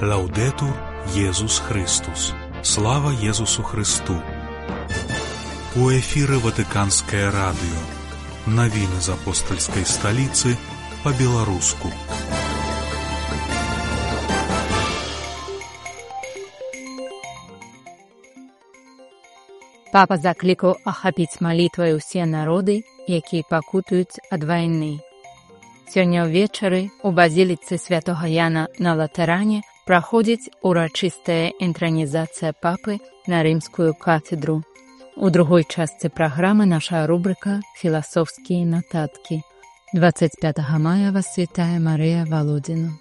Лаўдетур Єсус Христос. Слава Єсусу Христу. У эфіры Ватыканскае радыё. Навіны з апостальскай сталіцы па-беларуску. Папа заклікаў ахапіць малітвай усе народы, якія пакутуюць ад вайны. Сёння ўвечары у базіліцы святога Яна на Латэране праходзіць урачыстая інтранізацыя папы на рымскую кафедру. У другой частцы праграмы наша рубрика «Філасофскія нататкі». 25 мая вас вітае Марыя Володіна.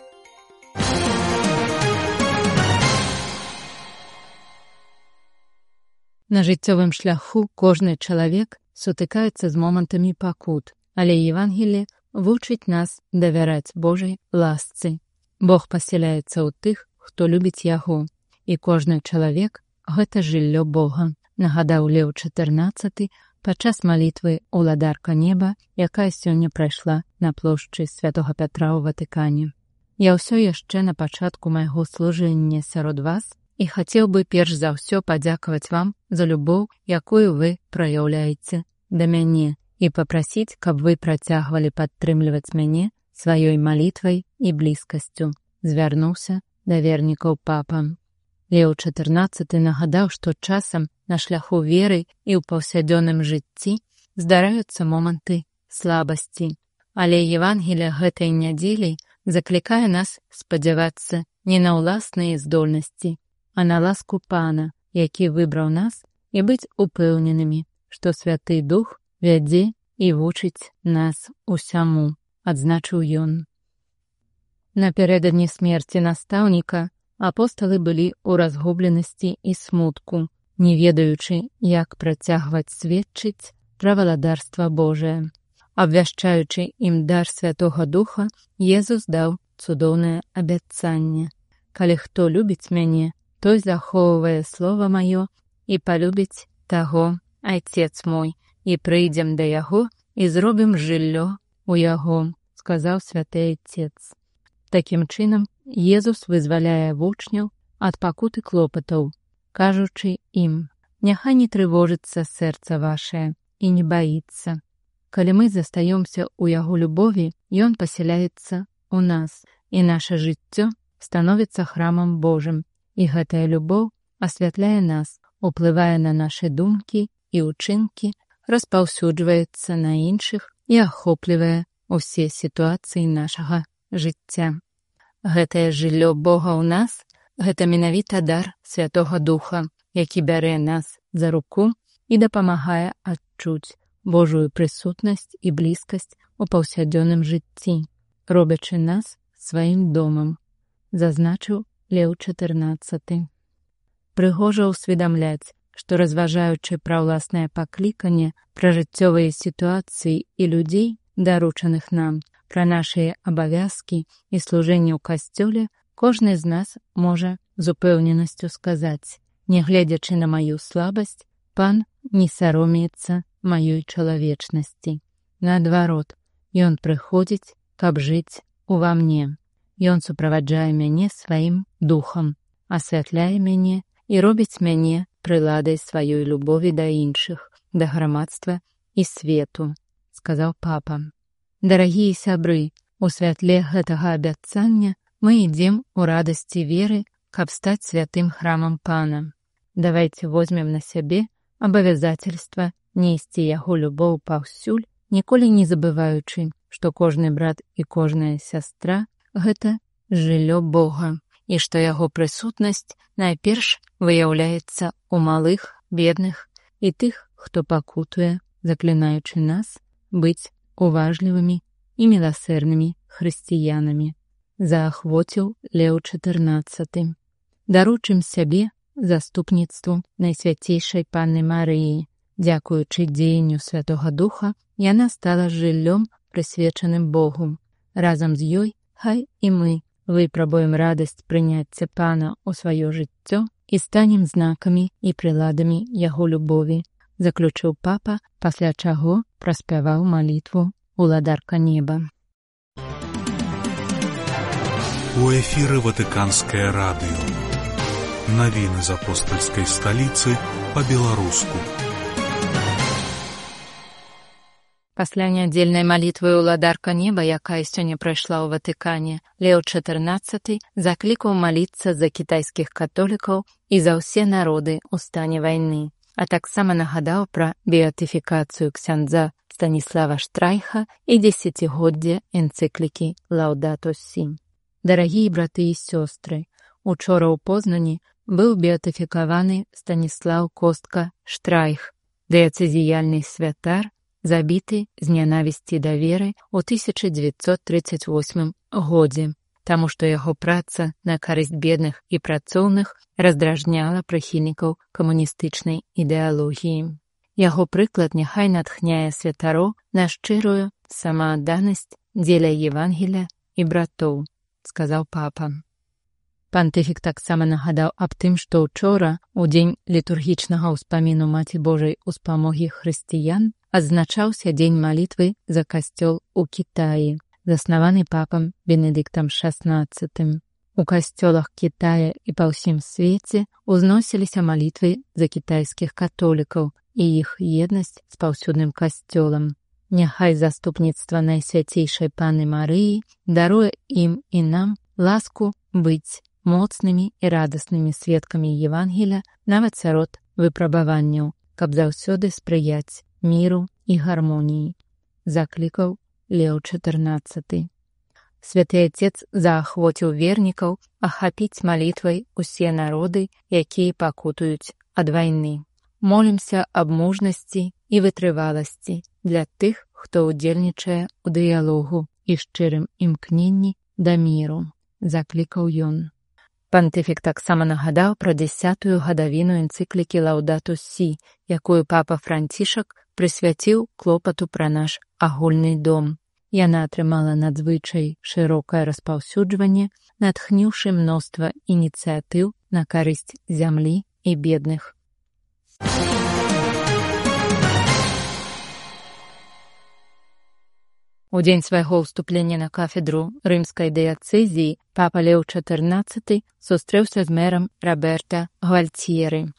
На жыццёвым шляху кожны чалавек сутыкаецца з момантамі пакут, але Евангелле вучыць нас давяраць Божай ласцы. Бог пасяляецца ў тых, хто любіць яго, і кожны чалавек – гэта жыллё Бога, нагадаў Леў XIV падчас малітвы «Уладарка неба», якая сёння прайшла на плошчы Святога Пятра ў Ватыкане. Я ўсё яшчэ на пачатку майго служэння сярод вас і хацеў бы перш за ўсё падзякаваць вам за любоў, якую вы праяўляеце да мяне, і папрасіць, каб вы працягвалі падтрымліваць мяне сваёй малітвай і блізкасцю, звярнуўся да вернікаў папа. Леў XIV нагадаў, што часам на шляху веры і ў паўсядзённым жыцці здараюцца моманты слабасці. Але Евангелле гэтай нядзелі заклікае нас спадзявацца не на ўласныя здольнасці, а на ласку Пана, які выбраў нас, і быць упэўненымі, што Святы Дух вядзе і вучыць нас усяму, адзначыў ён. Напярэдадні смерці настаўніка апосталы былі ў разгубленасці і смутку, не ведаючы, як працягваць сведчыць пра валадарства Божае. Абвяшчаючы ім дар Святога Духа, Езус даў цудоўнае абяцанне. Калі хто любіць мяне, той захоўвае слова маё і палюбіць таго Айцец мой, і прыйдзем да яго і зробім жыллё ў яго, сказаў святы Айцец. Такім чынам, Езус вызваляе вучняў ад пакуты клопатаў, кажучы ім: «Няхай не трывожыцца сэрца вашае і не баіцца. Калі мы застаёмся ў яго любові, ён пасяляецца ў нас, і наша жыццё становіцца храмам Божым, і гэтая любоў асвятляе нас, уплывае на нашы думкі і ўчынкі, распаўсюджваецца на іншых і ахоплівае ўсе сітуацыі нашага жыцця». Гэтае жыллё Бога ў нас – гэта менавіта дар Святога Духа, які бярэ нас за руку і дапамагае адчуць Божую прысутнасць і блізкасць у паўсядзённым жыцці, робячы нас сваім домам, зазначыў Леў XIV. Прыгожа ўсведамляць, што разважаючы пра ўласнае пакліканне, пра жыццёвыя сітуацыі і людзей, даручаных нам, пра нашыя абавязкі і служэнне ў касцёле, кожны з нас можа з упэўненасцю сказаць: «Нягледзячы на маю слабасць, Пан не саромеецца маёй чалавечнасці. Наадварот, ён прыходзіць, каб жыць ува мне. Ён суправаджае мяне сваім духам, асвятляе мяне і робіць мяне прыладай сваёй любові да іншых, да грамадства і свету», сказаў папа. Дарагія сябры, у святле гэтага абяцання мы ідзем у радасці веры, каб стаць святым храмам Пана. Давайце возьмем на сябе абавязацельства несці яго любоў паўсюль, ніколі не забываючы, што кожны брат і кожная сястра – гэта жыллё Бога, і што яго прысутнасць найперш выяўляецца ў малых, бедных і тых, хто пакутуе, заклінаючы нас быць уважлівымі і міласэрнымі хрысціянамі, заахвоціў Леў XIV. Даручым сябе заступніцтву Найсвяцейшай Панны Марыі. Дзякуючы дзеянню Святога Духа, яна стала жыллём, прысвечаным Богу. Разам з ёй хай і мы выпрабуем радасць прыняцця Пана ў сваё жыццё і станем знакамі і прыладамі яго любові, заключыў папа, пасля чаго праспяваў малітву «Уладарка неба». У эфіры Ватыканскае радыё. Навіны з апостальскай сталіцы па-беларуску. Пасля нядзельнай малітвы ўладарка неба, якая сёння прайшла ў Ватыкане, Лео XIV заклікаў маліцца за кітайскіх католікаў і за ўсе народы ў стане вайны, а таксама нагадаў пра беатыфікацыю ксяндза Станіслава Штрайха і дзесяцігоддзе энцыклікі «Лаўдату Сі». Дарагія браты і сёстры, учора ў Познані быў беатыфікаваны Станіслаў Костка Штрайх, дыяцэзіяльны святар, забіты з нянавісці да веры ў 1938 годзе, таму што яго праца на карысць бедных і працоўных раздражняла прыхільнікаў камуністычнай ідэалогіі. Яго прыклад няхай натхняе святароў на шчырую самаадданасць дзеля Евангелія і братоў, сказаў папа. Пантыфік таксама нагадаў аб тым, што ўчора, у дзень літургічнага ўспаміну Маці Божай успамогі хрысціян, адзначаўся дзень малітвы за касцёл у Кітаі, заснаваны папам Бенедыктам XVI. У касцёлах Кітая і па ўсім свеце ўзносіліся малітвы за кітайскіх католікаў і іх еднасць з паўсюдным касцёлам. Няхай заступніцтва Найсвяцейшай Панны Марыі даруе ім і нам ласку быць моцнымі і радаснымі сведкамі Евангелія нават сярод выпрабаванняў, каб заўсёды спрыяць міру і гармоніі, заклікаў Лео XIV. Святы Отец заахвоціў вернікаў ахапіць малітвай усе народы, якія пакутуюць ад вайны. Молімся аб мужнасці і вытрываласці для тых, хто ўдзельнічае ў дыялогу і шчырым імкненні да міру, заклікаў ён. Пантыфік таксама нагадаў пра 10-ю гадавіну энцыклікі «Лаўдату Сі», якую папа Францішак прысвяціў клопату пра наш агульны дом. Яна атрымала надзвычай шырокае распаўсюджванне, натхніўшы мноства ініцыятыў на карысць зямлі і бедных. У дзень свайго ўступлення на кафедру рымскай дыяцэзіі папа Лео XIV сустрэўся з мэрам Роберта Гвальцьеры.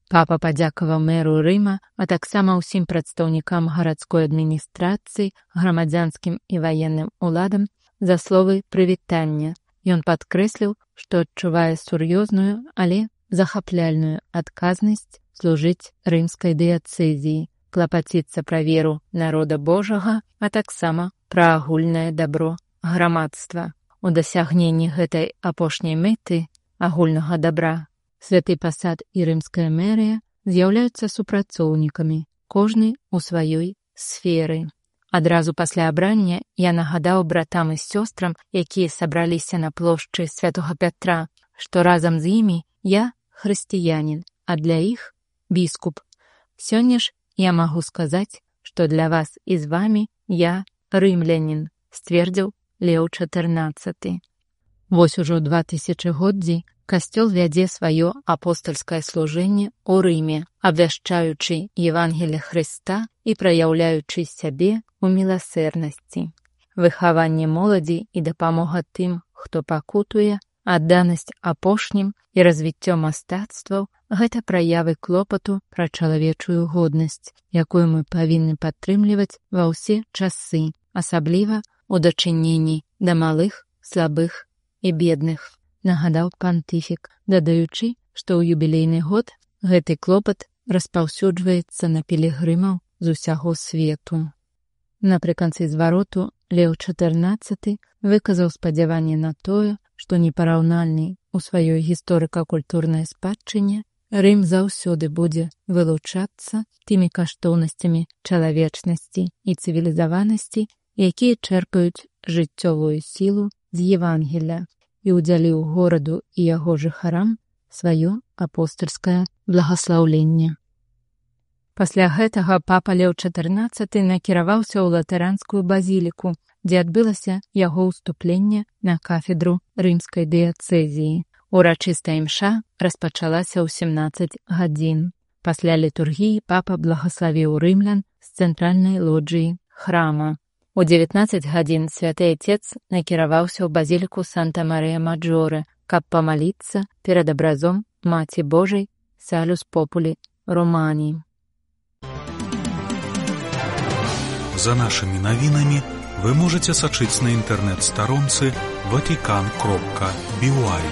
Папа падзякаваў мэру Рыма, а таксама ўсім прадстаўнікам гарадской адміністрацыі, грамадзянскім і ваенным уладам за словы прывітання. Ён падкрэсліў, што адчувае сур'ёзную, але захапляльную адказнасць служыць рымскай дыяцэзіі, клапаціцца пра веру народа Божага, а таксама пра агульнае дабро грамадства. У дасягненні гэтай апошняй мэты агульнага дабра святы пасад і рымская мэрыя з'яўляюцца супрацоўнікамі, кожны ў сваёй сферы. Адразу пасля абрання я нагадаў братам і сёстрам, якія сабраліся на плошчы Святога Пятра, што разам з імі я хрысціянін, а для іх біскуп. Сёння ж я магу сказаць, што для вас і з вамі я рымлянін, сцвердзіў Лео XIV. Вось ужо 2000годдзі касцёл вядзе сваё апостальскае служэнне ў Рыме, абвяшчаючы Евангелие Хрыста і праяўляючы сябе ў міласэрнасці. Выхаванне моладзі і дапамога тым, хто пакутуе, адданасць апошнім і развіццё мастацтваў – гэта праявы клопату пра чалавечую годнасць, якую мы павінны падтрымліваць ва ўсе часы, асабліва ў дачыненні да малых, слабых і бедных, нагадаў пантыфік, дадаючы, што ў юбілейны год гэты клопат распаўсюджваецца на пілігрымаў з усяго свету. Напрыканцы звароту Лео XIV выказаў спадзяванне на тое, што непараўнальны у сваёй гісторыка-культурнай спадчыне Рым заўсёды будзе вылучацца тымі каштоўнасцямі чалавечнасці і цывілізаванасці, якія чэрпаюць жыццёвую сілу з Евангелія, і ўдзяліў гораду і яго жыхарам сваё апостальскае благаслаўленне. Пасля гэтага папа Лео XIV накіраваўся ў латаранскую базіліку, дзе адбылася яго ўступленне на кафедру рымскай дыяцэзіі. Урачыстая імша распачалася ў 17 гадзін. Пасля літургіі папа благаславіў рымлян з цэнтральнай лоджыі храма. У 19 гадзін святы Отец накіраваўся ў базіліку Санта-Марія-Маджоре, каб памаліцца перад абразом Маці Божай Салюс Популі Романі. За нашими навінамі вы можете сачыць на інтэрнэт-старонцы vatican.by.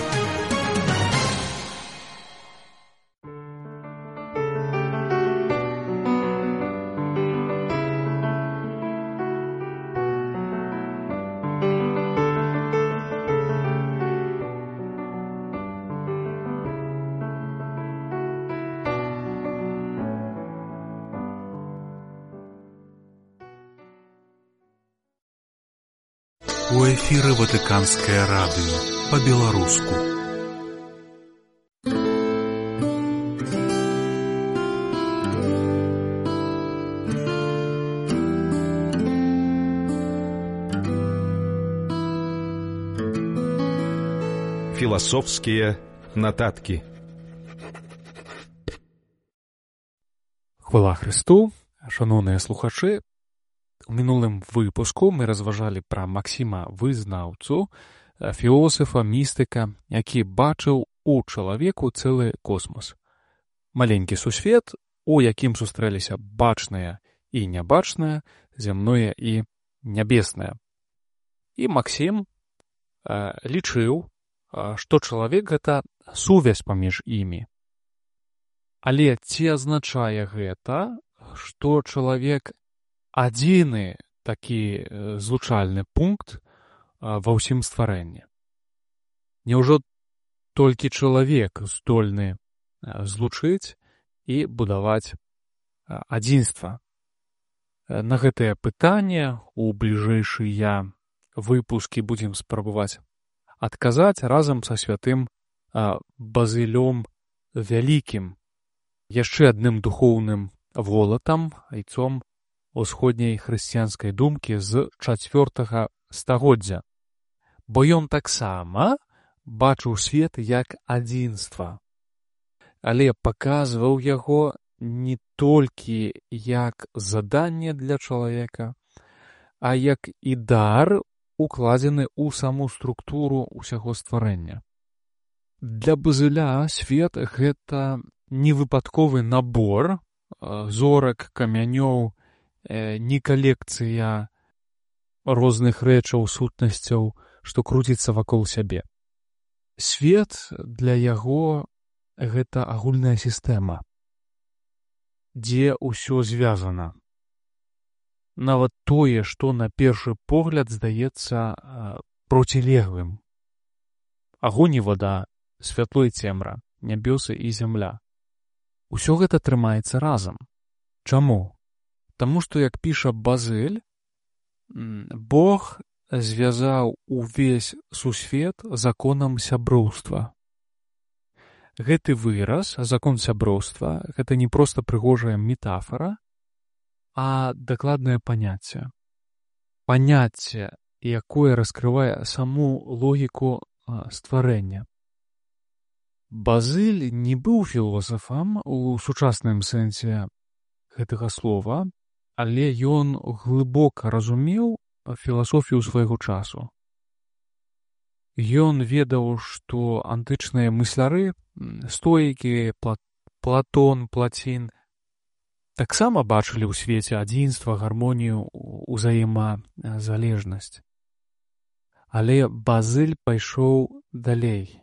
У эфіры Ватыканскае радыё па-беларуску. Філасофскія нататкі. Хвала Христу, шановныя слухачы. У мінулым выпуску мы разважалі пра Максіма Вызнаўцу, філосафа, містыка, які бачыў у чалавеку цэлы космос. Маленькі сусвет, у якім сустрэліся бачнае і нябачнае, зямное і нябеснае. І Максім лічыў, што чалавек — гэта сувязь паміж імі. Але ці азначае гэта, што чалавек адзіны такі злучальны пункт ва ўсім стварэнні? Няўжо толькі чалавек здольны злучыць і будаваць адзінства? На гэтае пытанне у бліжэйшыя выпускі будзем спрабаваць адказаць разам са святым Базылём Вялікім, яшчэ адным духоўным волатам, айцом усходняй хрысціянскай думкі з 4 стагоддзя, бо ён таксама бачыў свет як адзінства, але паказваў яго не толькі як заданне для чалавека, а як і дар, укладзены ў саму структуру ўсяго стварэння. Для Базыля свет — гэта не выпадковы набор зорак, камянёў, не калекцыя розных рэчаў, сутнасцяў, што круціцца вакол сябе. Свет для яго — гэта агульная сістэма, дзе ўсё звязана. Нават тое, што на першы погляд здаецца процілеглым. Агонь і вада, святло і цемра, нябёсы і зямля. Усё гэта трымаецца разам. Чаму? Таму што, як піша Базыль, Бог звязаў увесь сусвет законам сяброўства. Гэты выраз, закон сяброўства, гэта не проста прыгожая метафара, а дакладнае паняцце. Паняцце, якое раскрывае саму логіку стварэння. Базыль не быў філосафам у сучасным сэнсе гэтага слова, але ён глыбока разумеў філасофію свайго часу. Ён ведаў, што антычныя мысляры, стоікі, Платон, Плацін, таксама бачылі ў свеце адзінства, гармонію, узаемазалежнасць. Але Базыль пайшоў далей.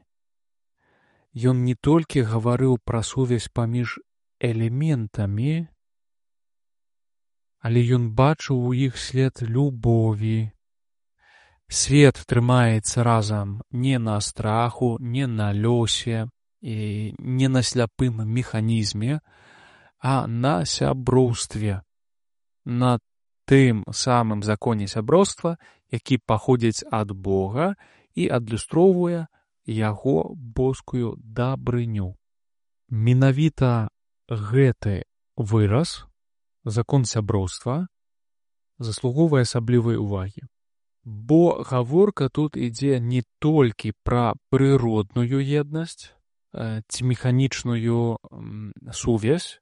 Ён не толькі гаварыў пра сувязь паміж элементамі, але ён бачыў у іх след любові. Свет трымаецца разам не на страху, не на лёсе і не на сляпым механізме, а на сяброўстве, на тым самым законе сяброўства, які паходзіць ад Бога і адлюстроўвае яго боскую дабрыню. Менавіта гэты выраз, закон сяброўства, заслугоўвае асаблівай увагі. Бо гаворка тут ідзе не толькі пра прыродную еднасць ці механічную сувязь.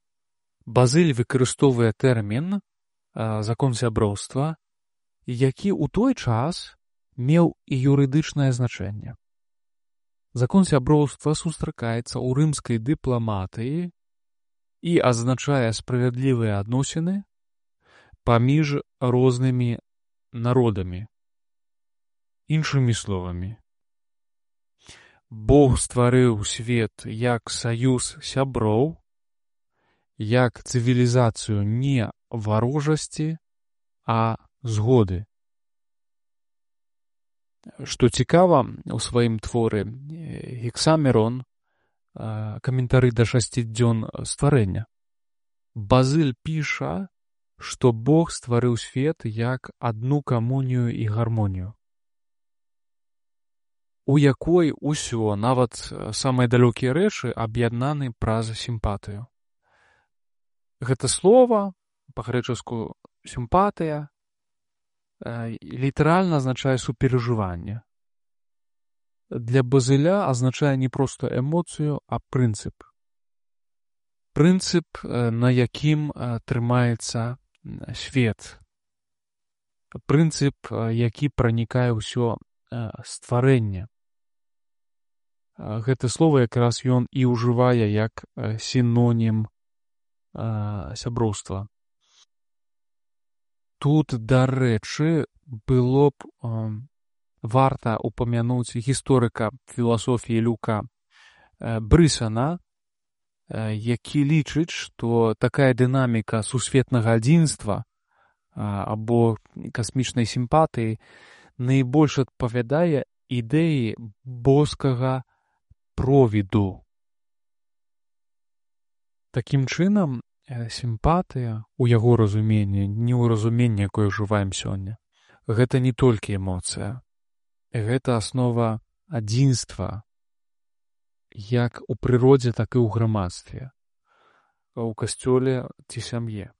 Базыль выкарыстоўвае тэрмін закон сяброўства які ў той час меў і юрыдычнае значэнне. Закон сяброўства сустракаецца ў рымскай дыпламатыі і азначае справядлівыя адносіны паміж рознымі народамі. Іншымі словамі, Бог стварыў свет як саюз сяброў, як цывілізацыю не варожасці, а згоды. Што цікава, у сваім творы Гексамерон, каментары да 6 дзён стварэння, Базыль піша, што Бог стварыў свет як адну камунію і гармонію, у якой усё, нават самыя далёкія рэчы, аб'яднаны праз сімпатыю. Гэта слова, па-грэчаску сімпатыя, літаральна азначае суперажыванне. Для Базыля азначае не проста эмоцыю, а прынцып. Прынцып, на якім трымаецца свет. Прынцып, які пранікае ўсё стварэнне. Гэта слова якраз ён і ўжывае як сінонім сяброўства. Тут, дарэчы, было б варта упамянуць гісторыка філасофіі Люка Брысана, які лічыць, што такая дынаміка сусветнага адзінства або касмічнай сімпатыі найбольш адпавядае ідэі боскага провіду. Такім чынам, сімпатыя у яго разуменні, не ў разуменні, якое ўжываем сёння, гэта не толькі эмоцыя. Гэта аснова адзінства, як у прыродзе, так і ў грамадстве, у касцёле ці сям'е.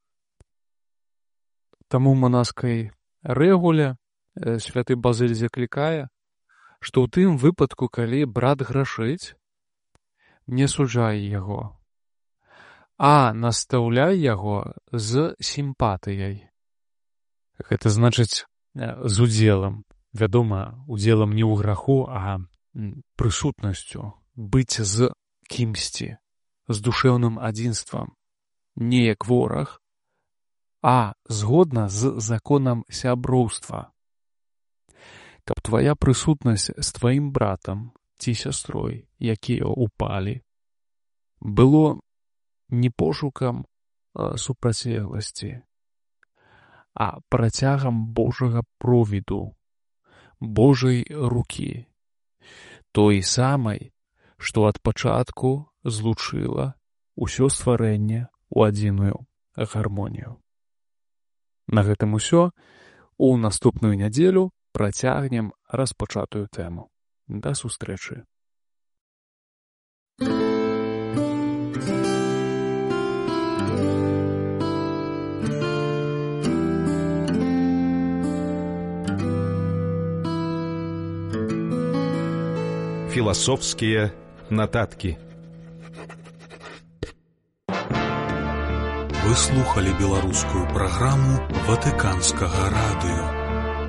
Таму ў манаскай рэгуле святы Базыль заклікае, што ў тым выпадку, калі брат грашыць, не суджай яго, а настаўляй яго з сімпатыяй. Гэта значыць з удзелам. Вядома, удзелам не ў граху, а прысутнасцю, быць з кімсьці, з душэўным адзінствам, не як вораг, а згодна з законам сяброўства. Каб твая прысутнасць з тваім братам ці сястрой, якія ўпалі, было не пошукам супрацьлегласці, а працягам Божага провіду, Божай рукі, той самай, што ад пачатку злучыла ўсё стварэнне ў адзіную гармонію. На гэтым усё. У наступную нядзелю працягнем распачатую тэму. Да сустрэчы. Философские нотатки. Вы слухали беларускую праграму Ватыканскага радыё.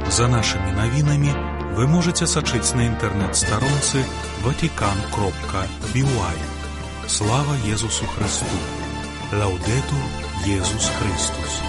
За нашымі навінамі вы можаце сачыць на інтэрнэт-старонцы vatican.by. Слава Езусу Христу! Лаўдэтур Езус Христус!